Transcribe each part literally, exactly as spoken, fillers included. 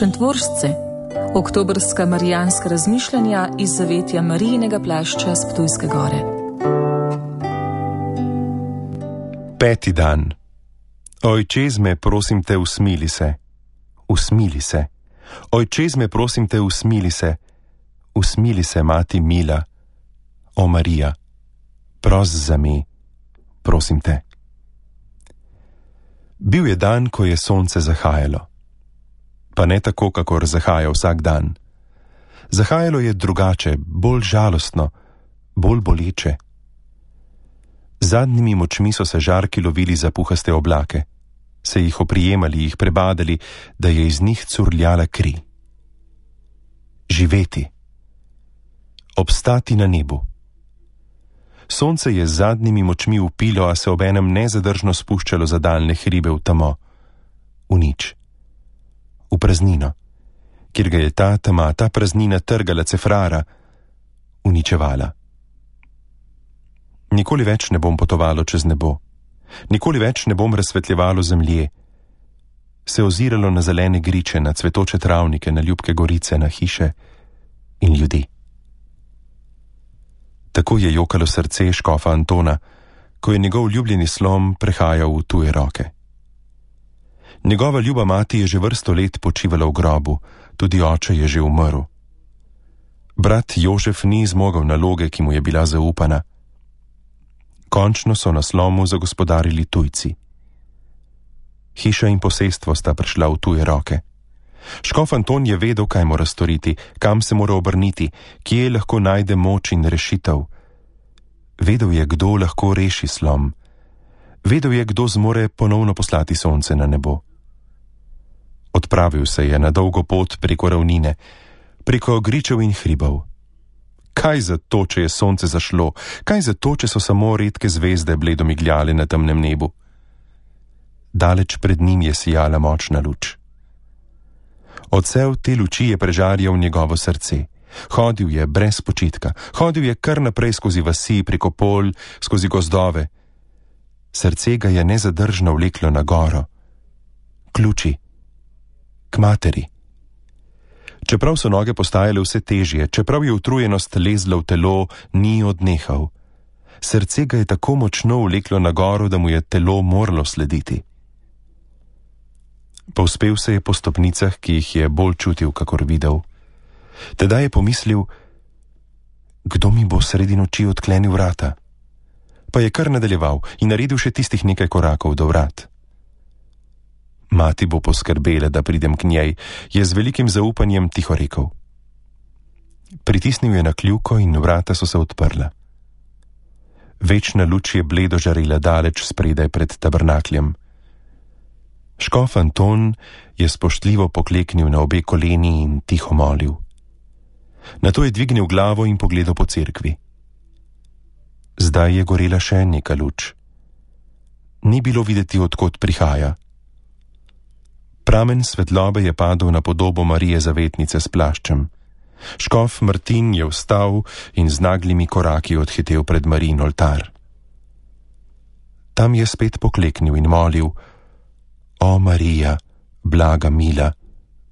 Šentvoržce, oktobrska marijanska razmišljanja iz zavetja Marijinega plašča s Ptujske gore. Peti dan. Ojčezme, prosim te, usmili se. Usmili se. Ojčezme, prosim te, usmili se. Usmili se, mati mila. O Marija, pros za me, prosim te. Bil je dan, ko je sonce zahajalo. Pa ne tako, kakor zahaja vsak dan. Zahajalo je drugače, bolj žalostno, bolj boleče. Z zadnjimi močmi so se žarki lovili za puhaste oblake, se jih oprijemali, jih prebadali, da je iz njih curljala kri. Živeti. Obstati na nebu. Sonce je z zadnjimi močmi upilo, a se obenem nezadržno spuščalo za daljne hribe v tamo, v nič, v praznino, kjer ga je ta tema, ta praznina trgala cefrara, uničevala. Nikoli več ne bom potovalo čez nebo, nikoli več ne bom razsvetljevalo zemlje, se oziralo na zelene griče, na cvetoče travnike, na ljubke gorice, na hiše in ljudi. Tako je jokalo srce škofa Antona, ko je njegov ljubljeni slom prehajal v tuje roke. Njegova ljuba mati je že vrsto let počivala v grobu, tudi oče je že umrl. Brat Jožef ni zmogel naloge, ki mu je bila zaupana. Končno so na slomu zagospodarili tujci. Hiša in posestvo sta prišla v tuje roke. Škof Anton je vedel, kaj mora storiti, kam se mora obrniti, kje lahko najde moč in rešitev. Vedel je, kdo lahko reši slom. Vedel je, kdo zmore ponovno poslati sonce na nebo. Odpravil se je na dolgo pot preko ravnine, preko gričev in hribov. Kaj za to, če je sonce zašlo? Kaj za to, če so samo redke zvezde bledo migljale na temnem nebu? Daleč pred njim je sijala močna luč. Odsev te luči je prežarjal njegovo srce. Hodil je brez počitka, hodil je kar naprej skozi vasi, preko polj, skozi gozdove. Srce ga je nezadržno vleklo na goro. K luči. K materi. Čeprav so noge postajale vse težje, čeprav je utrujenost lezla v telo, ni odnehal. Srce ga je tako močno vleklo na goro, da mu je telo moralo slediti. Povzpel se je po stopnicah, ki jih je bolj čutil, kakor videl. Tedaj je pomislil, kdo mi bo sredi noči odklenil vrata. Pa je kar nadaljeval in naredil še tistih nekaj korakov do vrat. Mati bo poskrbela, da pridem k njej, je z velikim zaupanjem tiho rekel. Pritisnil je na kljuko in vrata so se odprla. Večna luč je bledo žarela daleč spredaj pred tabernakljem. Škof Anton je spoštljivo pokleknil na obe koleni in tiho molil. Nato je dvignil glavo in pogledal po cerkvi. Zdaj je gorela še neka luč. Ni bilo videti, odkot prihaja. Pramen svetlobe je padel na podobo Marije Zavetnice s plaščem. Škof Martin je vstal in z naglimi koraki odhitel pred Marijin oltar. Tam je spet pokleknil in molil: O Marija, blaga mila,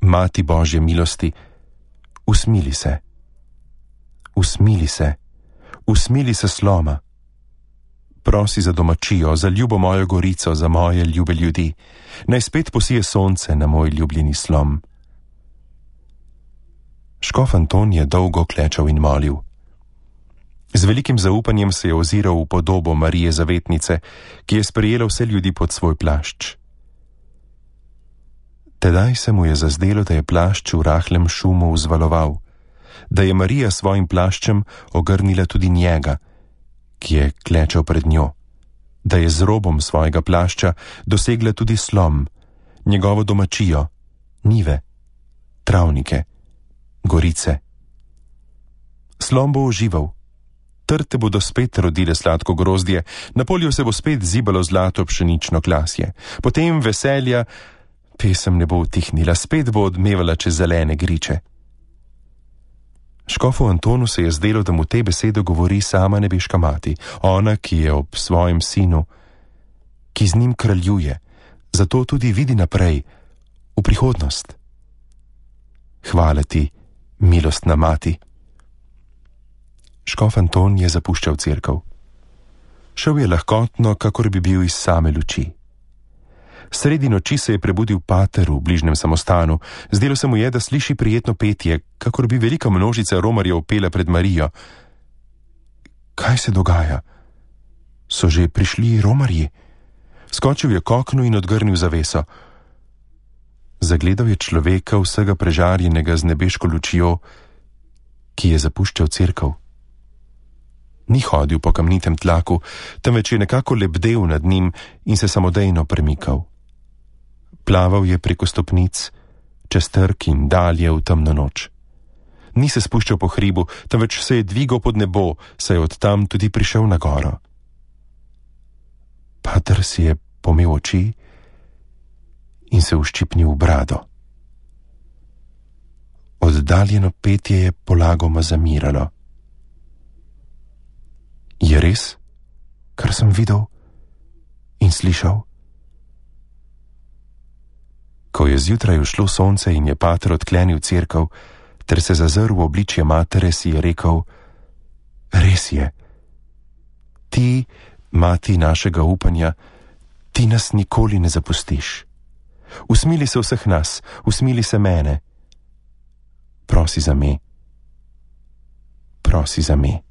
Mati Božje milosti, usmili se. Usmili se. Usmili se sloma. Prosi za domačijo, za ljubo mojo gorico, za moje ljube ljudi. Naj spet posije sonce na moj ljubljeni slom. Škof Anton je dolgo klečal in molil. Z velikim zaupanjem se je oziral v podobo Marije Zavetnice, ki je sprejela vse ljudi pod svoj plašč. Tedaj se mu je zazdelo, da je plašč v rahlem šumu vzvaloval, da je Marija svojim plaščem ogrnila tudi njega, ki je klečal pred njo, da je z robom svojega plašča dosegla tudi slom, njegovo domačijo, njive, travnike, gorice. Slom bo ožival, trte bodo spet rodile sladko grozdje, na polju se bo spet zibalo zlato pšenično klasje, potem veselja, pesem ne bo utihnila, spet bo odmevala čez zelene griče. Škofu Antonu se je zdelo, da mu te besede govori sama nebeška mati, ona, ki je ob svojem sinu, ki z njim kraljuje, zato tudi vidi naprej, v prihodnost. Hvala ti, milostna mati. Škof Anton je zapuščal cerkev. Šel je lahkotno, kakor bi bil iz same luči. Sredi noči se je prebudil pater v bližnjem samostanu. Zdelo se mu je, da sliši prijetno petje, kakor bi velika množica romarjev pela pred Marijo. Kaj se dogaja? So že prišli romarji? Skočil je k oknu in odgrnil zaveso. Zagledal je človeka vsega prežarjenega z nebeško lučjo, ki je zapuščal cerkev. Ni hodil po kamnitem tlaku, temveč je nekako lebdel nad njim in se samodejno premikal. Plaval je preko stopnic, čez trg in dalje v temno noč. Ni se spuščal po hribu, temveč se je dvigal pod nebo, saj je od tam tudi prišel na goro. Pater si je pomel oči in se uščipnil v brado. Oddaljeno petje je polagoma zamiralo. Je res, kar sem videl in slišal? Ko je zjutraj ušlo sonce in je pater odklenil cerkev, ter se zazrl v obličje matere, si je rekel: res je, ti, mati našega upanja, ti nas nikoli ne zapustiš. Usmili se vseh nas, usmili se mene. Prosi za me, prosi za me.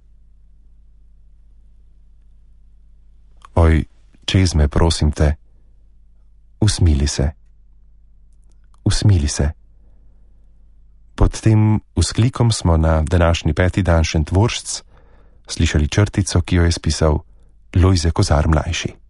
Oj, čez me, prosim te, usmili se, usmili se. Pod tem vzklikom smo na današnji peti dan Šentvoržc slišali črtico, ki jo je spisal Lojze Kozar mlajši.